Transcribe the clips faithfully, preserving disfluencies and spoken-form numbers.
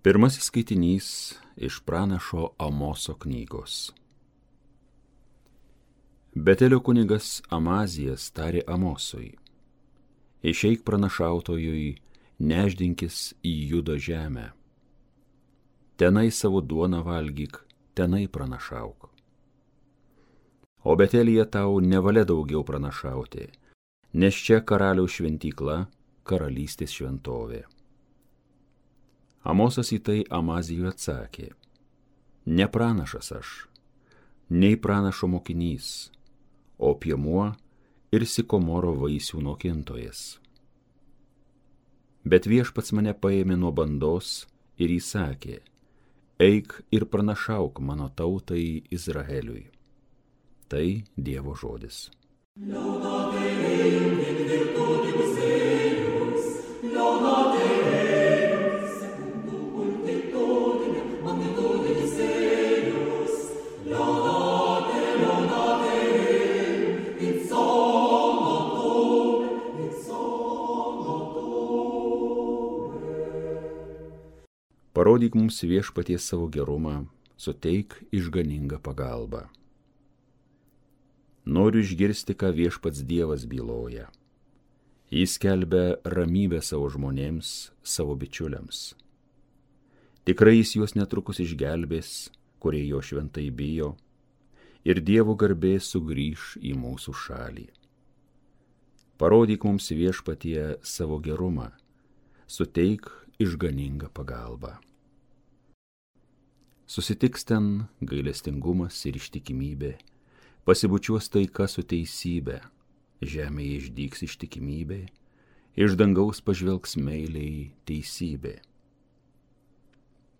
Pirmasis skaitinys iš pranašo Amoso knygos. Betelio kunigas Amazijas tarė Amosui: išeik pranašautojui, nešdinkis į Judo žemę. Tenai savo duoną valgyk, tenai pranašauk. O Betelyje tau nevalia daugiau pranašauti, nes čia karaliaus šventykla, karalystės šventovė. Amosas į tai Amazijui atsakė: ne pranašas aš, nei pranašo mokinys, o piemuo ir sikomoro vaisių nokintojas. Bet viešpats mane paėmė nuo bandos ir įsakė: eik ir pranašauk mano tautai Izraeliui. Tai Dievo žodis. Parodyk mums viešpaties savo gerumą, suteik išganingą pagalbą. Noriu išgirsti, ką viešpats Dievas byloja. Jis skelbia ramybę savo žmonėms, savo bičiuliams. Tikrai jis juos netrukus išgelbės, kurie jo šventai bijo, ir Dievo garbė sugrįš į mūsų šalį. Parodyk mums viešpatie savo gerumą, suteik išganingą pagalbą. Susitiks ten gailestingumas ir ištikimybė, pasibučiuos taika su teisybė, žemėje išdygs ištikimybė, iš dangaus pažvelgs meiliai teisybė.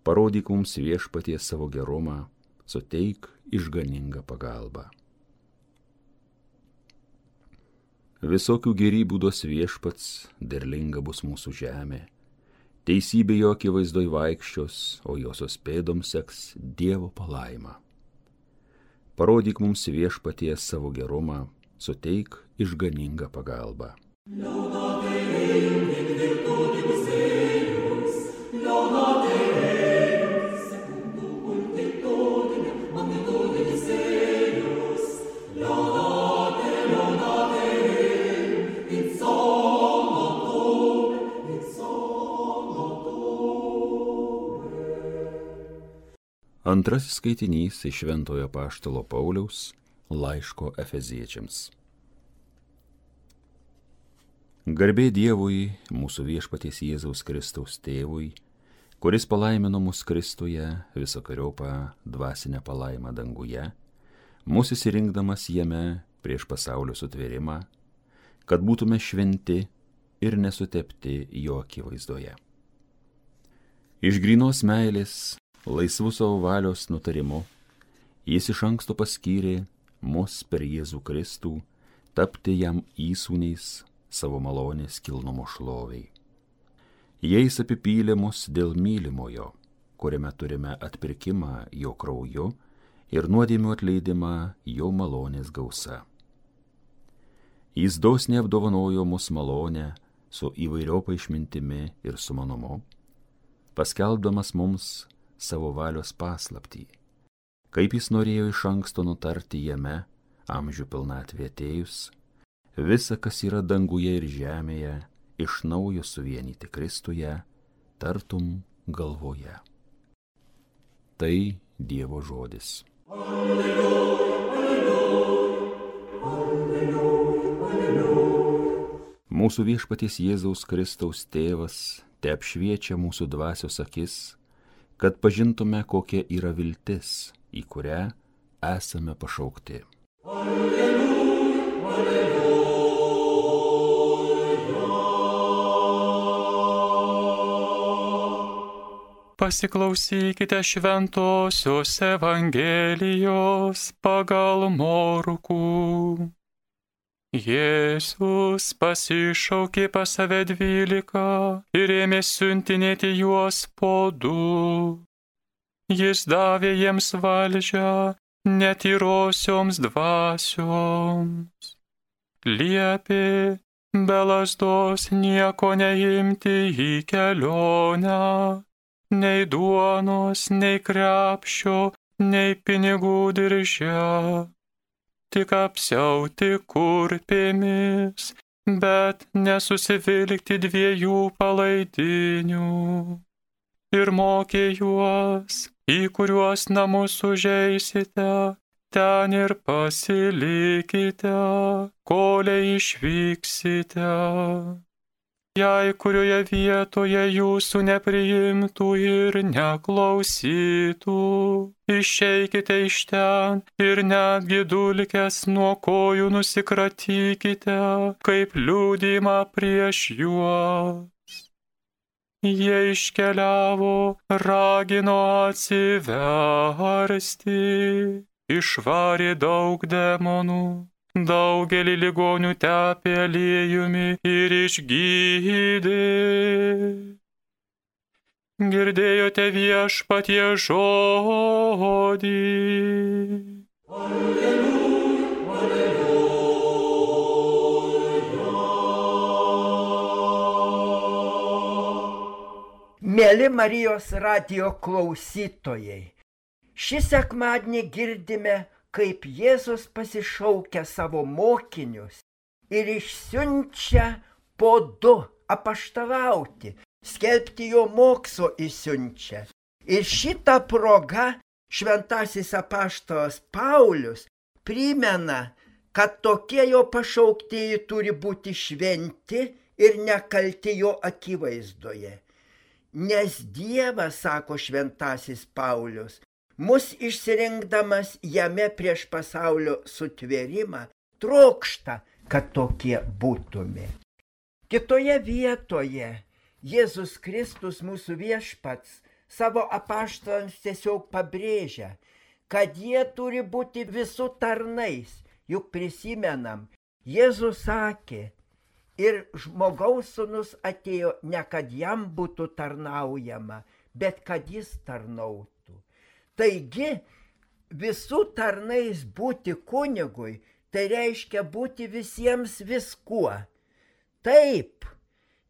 Parodyk mums viešpatie savo gerumą, suteik išganingą pagalbą. Visokių gėrybių duos viešpats, derlinga bus mūsų žemė. Teisybė jo akivaizdoj vaikščios, o josios pėdoms seks Dievo palaima. Parodyk mums viešpatie savo gerumą, suteik išganingą pagalbą. Antrasis skaitinys iš Šventojo apaštalo Pauliaus laiško Efeziečiams. Garbė Dievui, mūsų viešpaties Jėzaus Kristaus tėvui, kuris palaimino mus Kristuje visokeriopą dvasinę palaimą danguje, mus įsirinkdamas jame prieš pasaulio sutvėrimą, kad būtume šventi ir nesutepti jo akivaizdoje. Iš grynos meilės, laisvų savo valios nutarimu, jis iš anksto paskyrė mus per Jėzų Kristų tapti jam įsūniais savo malonės kilnumo šloviai. Jais apipylė mus dėl mylimojo, kuriame turime atpirkimą jo krauju ir nuodėmių atleidimą jo malonės gausa. Jis dosniai apdovanojo mus malonę su įvairiopa išmintimi ir sumanumu, paskelbdamas mums savo valios paslaptį, kaip jis norėjo iš anksto nutarti jame, amžių pilnatvė atėjus, visa, kas yra danguje ir žemėje, iš naujo suvienyti Kristuje, tartum galvoje. Tai Dievo žodis. Alleluja, alleluja, alleluja, alleluja. Mūsų viešpaties Jėzaus Kristaus tėvas te apšviečia mūsų dvasios akis, kad pažintume, kokia yra viltis, į kurią esame pašaukti. Alleluja, alleluja. Pasiklausykite šventosios Evangelijos pagal Morkų. Jėzus pasišaukė pas save dvylika ir ėmė siuntinėti juos po du. Jis davė jiems valdžią netyrosioms dvasioms. Liepė be lazdos nieko neimti į kelionę nei duonos, nei krepšio, nei pinigų dirže, tik apsiauti kurpėmis, bet nesusivilkti dviejų palaidinių. Ir mokė juos, į kuriuos namus užeisite, ten ir pasilikite, kolei išvyksite. Jei kurioje vietoje jūsų nepriimtų ir neklausytų, išeikite iš ten ir netgi dulkes nuo kojų nusikratykite, kaip liudymą prieš juos. Jie iškeliavo, ragino atsiversti, išvarė daug demonų. Daugelį ligonių tepė aliejumi ir išgydė. Girdėjote viešpatie žodį. Alleluja, alleluja. Mėly Marijos radijo klausytojai, šį sekmadienį girdime, kaip Jėzus pasišaukia savo mokinius ir išsiunčia po du apaštalauti, skelbti jo mokslo išsiunčia. Ir šitą progą šventasis apaštalas Paulius primena, kad tokie jo pašauktieji turi būti šventi ir nekalti jo akivaizdoje. Nes Dievas, sako šventasis Paulius, mus išsirinkdamas jame prieš pasaulio sutvėrimą, trokšta, kad tokie būtume. Kitoje vietoje Jėzus Kristus, mūsų viešpats, savo apaštalams tiesiog pabrėžia, kad jie turi būti visų tarnais. Juk prisimenam, Jėzus sakė, ir žmogaus sūnus atėjo ne kad jam būtų tarnaujama, bet kad jis tarnautų. Taigi, visų tarnais būti kunigui, tai reiškia būti visiems viskuo. Taip,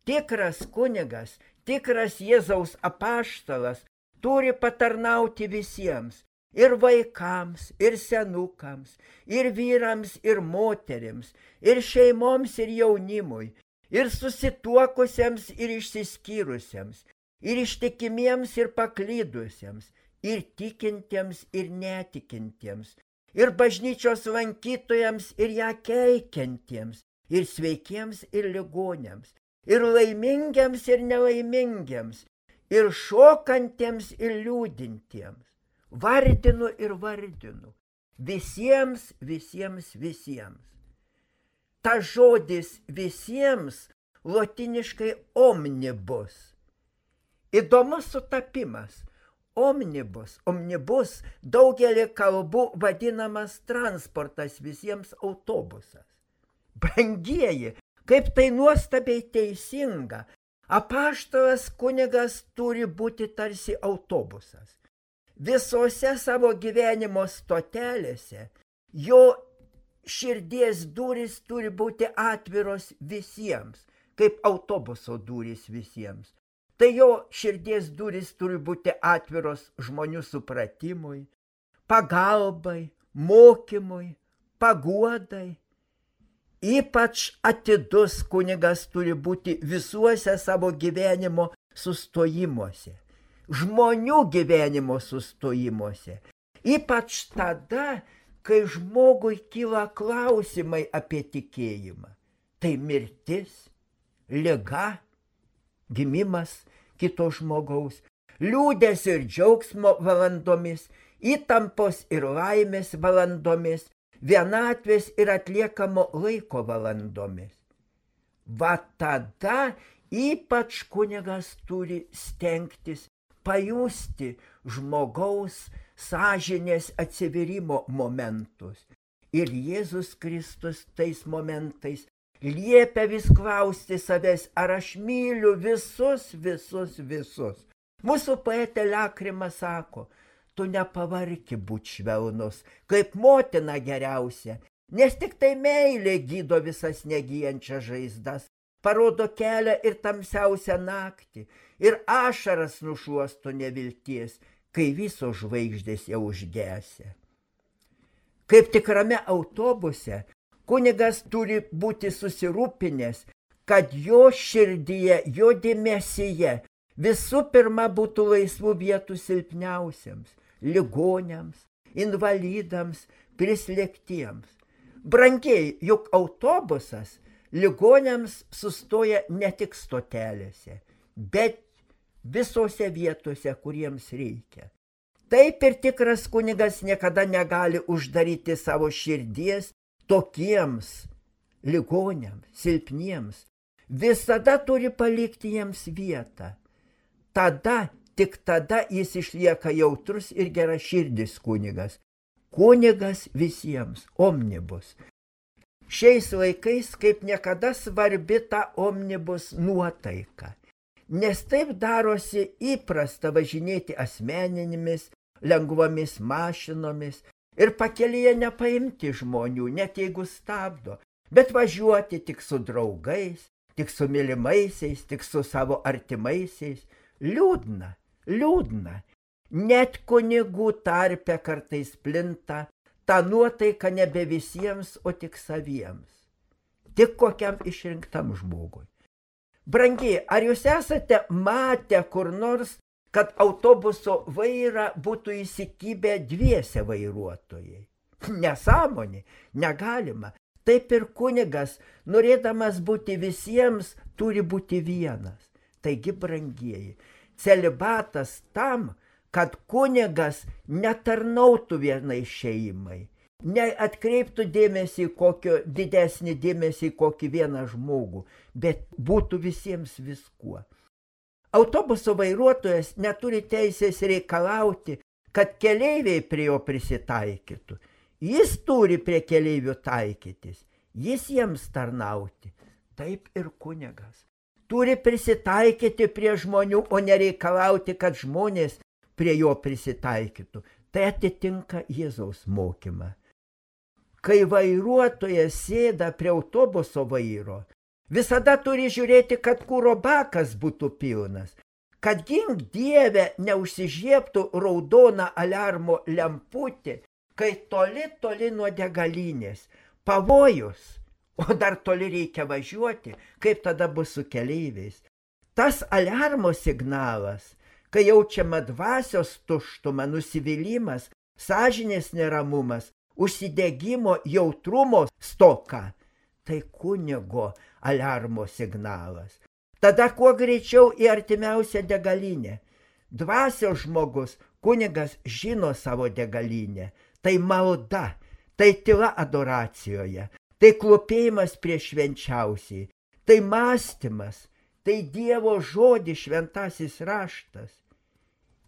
tikras kunigas, tikras Jėzaus apaštalas turi patarnauti visiems, ir vaikams, ir senukams, ir vyrams, ir moterims, ir šeimoms, ir jaunimui, ir susituokusiems, ir išsiskyrusiems, ir ištikimiems, ir paklydusiems, ir tikintiems, ir netikintiems, ir bažnyčios lankytojams, ir ją keikiantiems, ir sveikiems, ir ligoniams, ir laimingiams, ir nelaimingiems, ir šokantiems, ir liūdintiems. Vardinu ir vardinu. Visiems, visiems, visiems. Ta žodis visiems lotiniškai omnibus. Įdomus sutapimas. Omnibus, omnibus daugelį kalbų vadinamas transportas, visiems autobusas. Brangieji, kaip tai nuostabiai teisinga. Apaštalas kunigas turi būti tarsi autobusas. Visose savo gyvenimo stotelėse jo širdies durys turi būti atviros visiems, kaip autobuso durys visiems. Tai jo širdies durys turi būti atviros žmonių supratimui, pagalbai, mokymui, paguodai. Ypač atidus kunigas turi būti visuose savo gyvenimo sustojimuose, žmonių gyvenimo sustojimuose. Ypač tada, kai žmogui kyla klausimai apie tikėjimą. Tai mirtis, liga, gimimas kito žmogaus, liūdesio ir džiaugsmo valandomis, įtampos ir laimės valandomis, vienatvės ir atliekamo laiko valandomis. Va tada ypač kunigas turi stengtis pajusti žmogaus sąžinės atsiverimo momentus. Ir Jėzus Kristus tais momentais liepia vis klausti savęs, ar aš myliu visus, visus, visus. Mūsų poetė Lakrima sako, tu nepavarki būt švelnus, kaip motina geriausia, nes tik tai meilė gydo visas negyjančias žaizdas. parodo kelią ir tamsiausią naktį, ir ašaras nušuosto nevilties, kai visos žvaigždės jau užgesia. Kaip tikrame autobuse, kunigas turi būti susirūpinęs, kad jo širdyje, jo dėmesyje visų pirma būtų laisvų vietų silpniausiams, ligoniams, invalidams, prislėgtiems. Brangiai, juk autobusas ligoniams sustoja ne tik stotelėse, bet visose vietose, kuriems reikia. Taip ir tikras kunigas niekada negali uždaryti savo širdies tokiems ligoniams, silpniems. Visada turi palikti jiems vietą. Tada, tik tada jis išlieka jautrus ir geraširdis kunigas. Kunigas visiems, omnibus. Šiais laikais kaip niekada svarbi ta omnibus nuotaika, nes taip darosi įprasta važinėti asmeninėmis, lengvomis mašinomis ir pakelyje nepaimti žmonių, net jeigu stabdo, bet važiuoti tik su draugais, tik su mylimaisiais, tik su savo artimaisiais. Liūdna, liūdna. Net kunigų tarpe kartais plinta ta nuotaika nebe visiems, o tik saviems. Tik kokiam išrinktam žmogui. Brangiai, ar jūs esate matę kur nors, kad autobuso vairą būtų įsikibę dviese vairuotojai? Nesąmonė, negalima. Taip ir kunigas, norėdamas būti visiems, turi būti vienas. Taigi, brangieji, celibatas tam, kad kunigas netarnautų vienai šeimai, neatkreiptų dėmesį kokio, didesnį dėmesį kokį vieną žmogų, bet būtų visiems viskuo. Autobuso vairuotojas neturi teisės reikalauti, kad keleiviai prie jo prisitaikytų. Jis turi prie keleivių taikytis, jis jiems tarnauti. Taip ir kunigas. Turi prisitaikyti prie žmonių, o nereikalauti, kad žmonės prie jo prisitaikytų. Tai atitinka Jėzaus mokymą. Kai vairuotojas sėda prie autobuso vairo, visada turi žiūrėti, kad kuro bakas būtų pilnas, kad gink Dieve neužsižiebtų raudona aliarmo lemputė, kai toli, toli nuo degalinės. Pavojus, o dar toli reikia važiuoti, kaip tada bus su keleiviais. Tas aliarmo signalas, kai jaučiama dvasios tuštuma, nusivylimas, sąžinės neramumas, užsidegimo, jautrumo stoka, tai kunigo aliarmo signalas. Tada kuo greičiau į artimiausią degalinę. Dvasios žmogus, kunigas žino savo degalinę. Tai malda, tai tyla adoracijoje, tai klopėjimas prieš švenčiausiai, tai mąstymas, tai Dievo žodis šventasis raštas.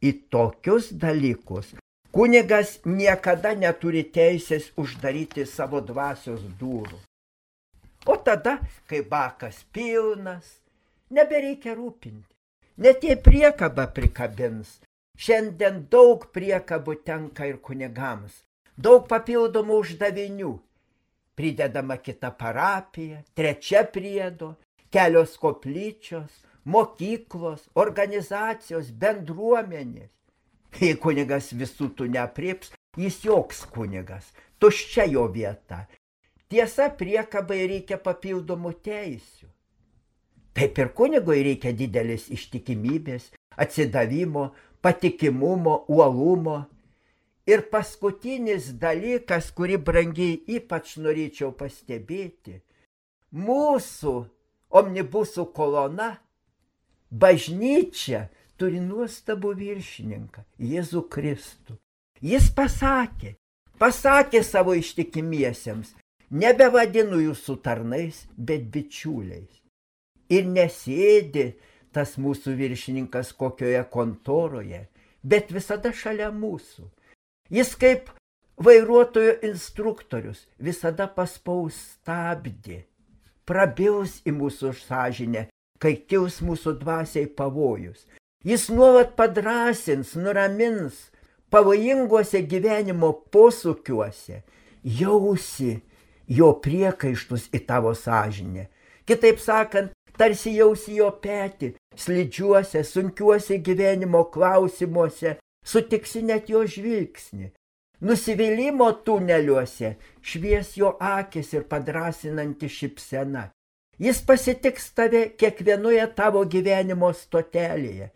Į tokius dalykus kunigas niekada neturi teisės uždaryti savo dvasios durų. O tada, kai bakas pilnas, nebereikia rūpinti. Net jei priekabą prikabins, šiandien daug priekabų tenka ir kunigams, daug papildomų uždavinių. Pridedama kita parapija, trečia priedo, kelios koplyčios, mokyklos, organizacijos, bendruomenės. Jei kunigas visų tų neaprėps, jis joks kunigas, tuščia jo vieta. Tiesa, priekabai reikia papildomų teisių. Taip ir kunigui reikia didelis ištikimybės, atsidavimo, patikimumo, uolumo. Ir paskutinis dalykas, kurį brangiai ypač norėčiau pastebėti, mūsų omnibusų kolona, bažnyčia, turi nuostabų viršininką, Jėzų Kristų. Jis pasakė, pasakė savo ištikimiesiems, nebevadinu jūsų tarnais, bet bičiuliais. Ir nesėdi tas mūsų viršininkas kokioje kontoroje, bet visada šalia mūsų. Jis kaip vairuotojo instruktorius visada paspaus stabdį, prabils į mūsų sąžinę, kai kils mūsų dvasiai pavojus. Jis nuolat padrąsins, nuramins pavojinguose gyvenimo posūkiuose, jausi jo priekaištus į tavo sąžinę. Kitaip sakant, tarsi jausi jo petį, slidžiuose, sunkiuose gyvenimo klausimuose, sutiksi net jo žvilgsnį. Nusivylimo tuneliuose švies jo akis ir padrasinanti šypsena. Jis pasitiks tave kiekvienoje tavo gyvenimo stotelėje,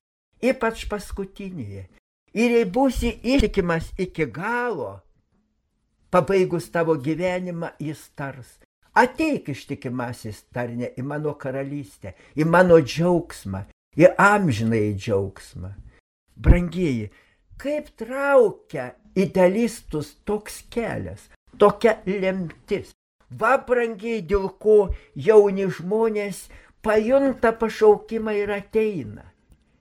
ypač paskutinėje. Ir jei būsi ištikimas iki galo, pabaigus tavo gyvenimą jis tars: ateik ištikimasis tarne į mano karalystę, į mano džiaugsmą, į amžinąjį džiaugsmą. Brangieji, kaip traukia idealistus toks kelias, tokia lemtis. Va, brangiai, dėl ko jauni žmonės pajunta pašaukimą ir ateina.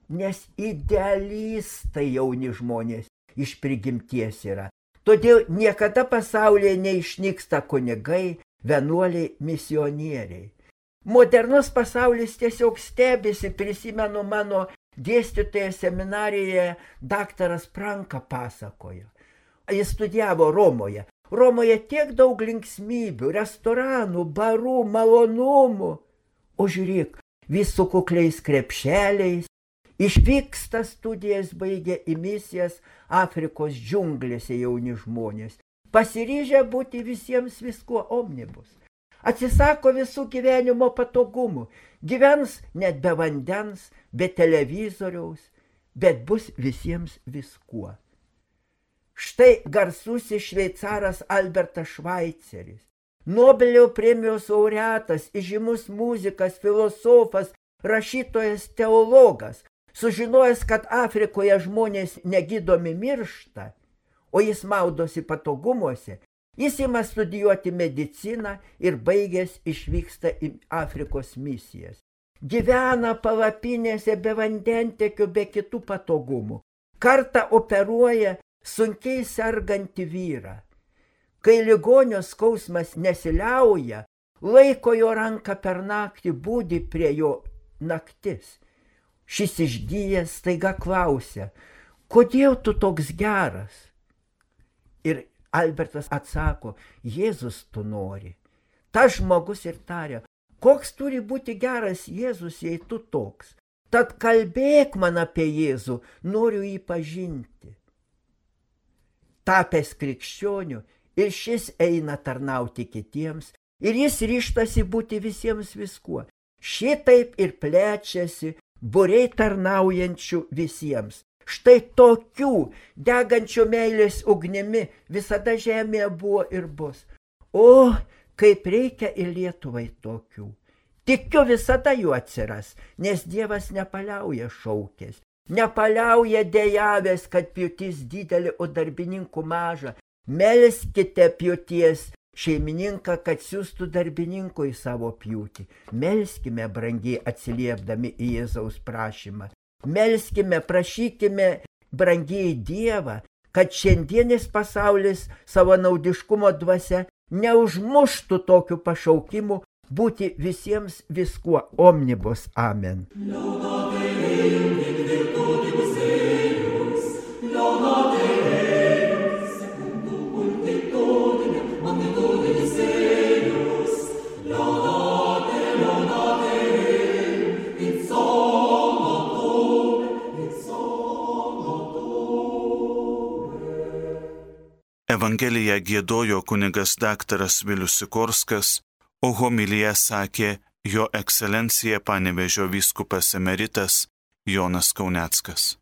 Nes idealistai jauni žmonės iš prigimties yra. Todėl niekada pasaulyje neišnyksta kunigai, vienuoliai, misionieriai. Modernus pasaulis tiesiog stebisi, prisimenu mano dėstytoje seminarijoje daktaras Pranka pasakojo. Jis studijavo Romoje. Romoje tiek daug linksmybių, restoranų, barų, malonumų. O žiūrėk, vis su kukliais krepšeliais, išvyksta studijas, baigia į misijas Afrikos džiunglėse jauni žmonės, pasiryžę būti visiems viskuo omnibus. Atsisako visų gyvenimo patogumų, gyvens net be vandens, be televizoriaus, bet bus visiems viskuo. Štai garsusis šveicaras Albertas Švaiceris, Nobelio premijos laureatas, įžymus muzikas, filosofas, rašytojas, teologas, sužinojęs, kad Afrikoje žmonės negydomi miršta, o jis maudosi patogumuose, jis ima studijuoti mediciną ir baigęs išvyksta į Afrikos misijas. Gyvena palapinėse be vandentekio, be kitų patogumų. Kartą operuoja sunkiai sergantį vyrą. Kai ligonio skausmas nesiliauja, laiko jo ranką per naktį, būdi prie jo naktis. Šis išgyjęs staiga klausia: kodėl tu toks geras? Ir Albertas atsako: Jėzus tu nori. Tas žmogus ir taria: koks turi būti geras Jėzus, jei tu toks? Tad kalbėk man apie Jėzų, noriu jį pažinti. Tapęs krikščioniu, ir šis eina tarnauti kitiems, ir jis ryžtasi būti visiems viskuo. Šitaip ir plečiasi būriai tarnaujančių visiems. Štai tokių degančių meilės ugnimi visada žemėje buvo ir bus. O, kaip reikia ir Lietuvai tokių. Tikiu, visada jų atsiras, nes Dievas nepaliauja šaukės. Nepaliauja dejavęs, kad pjūtis didelė, o darbininkų maža. Melskite pjūties šeimininką, kad siųstų darbininkų į savo pjūtį. Melskime, brangiai, atsiliepdami į Jėzaus prašymą. Melskime, prašykime, brangiai, Dievą, kad šiandienis pasaulis savo naudiškumo dvasia neužmuštų tokių pašaukimų būti visiems viskuo omnibus. Amen. Evangeliją giedojo kunigas daktaras Vilius Sikorskas, o homiliją sakė jo ekscelencija Panevėžio vyskupas emeritas Jonas Kauneckas.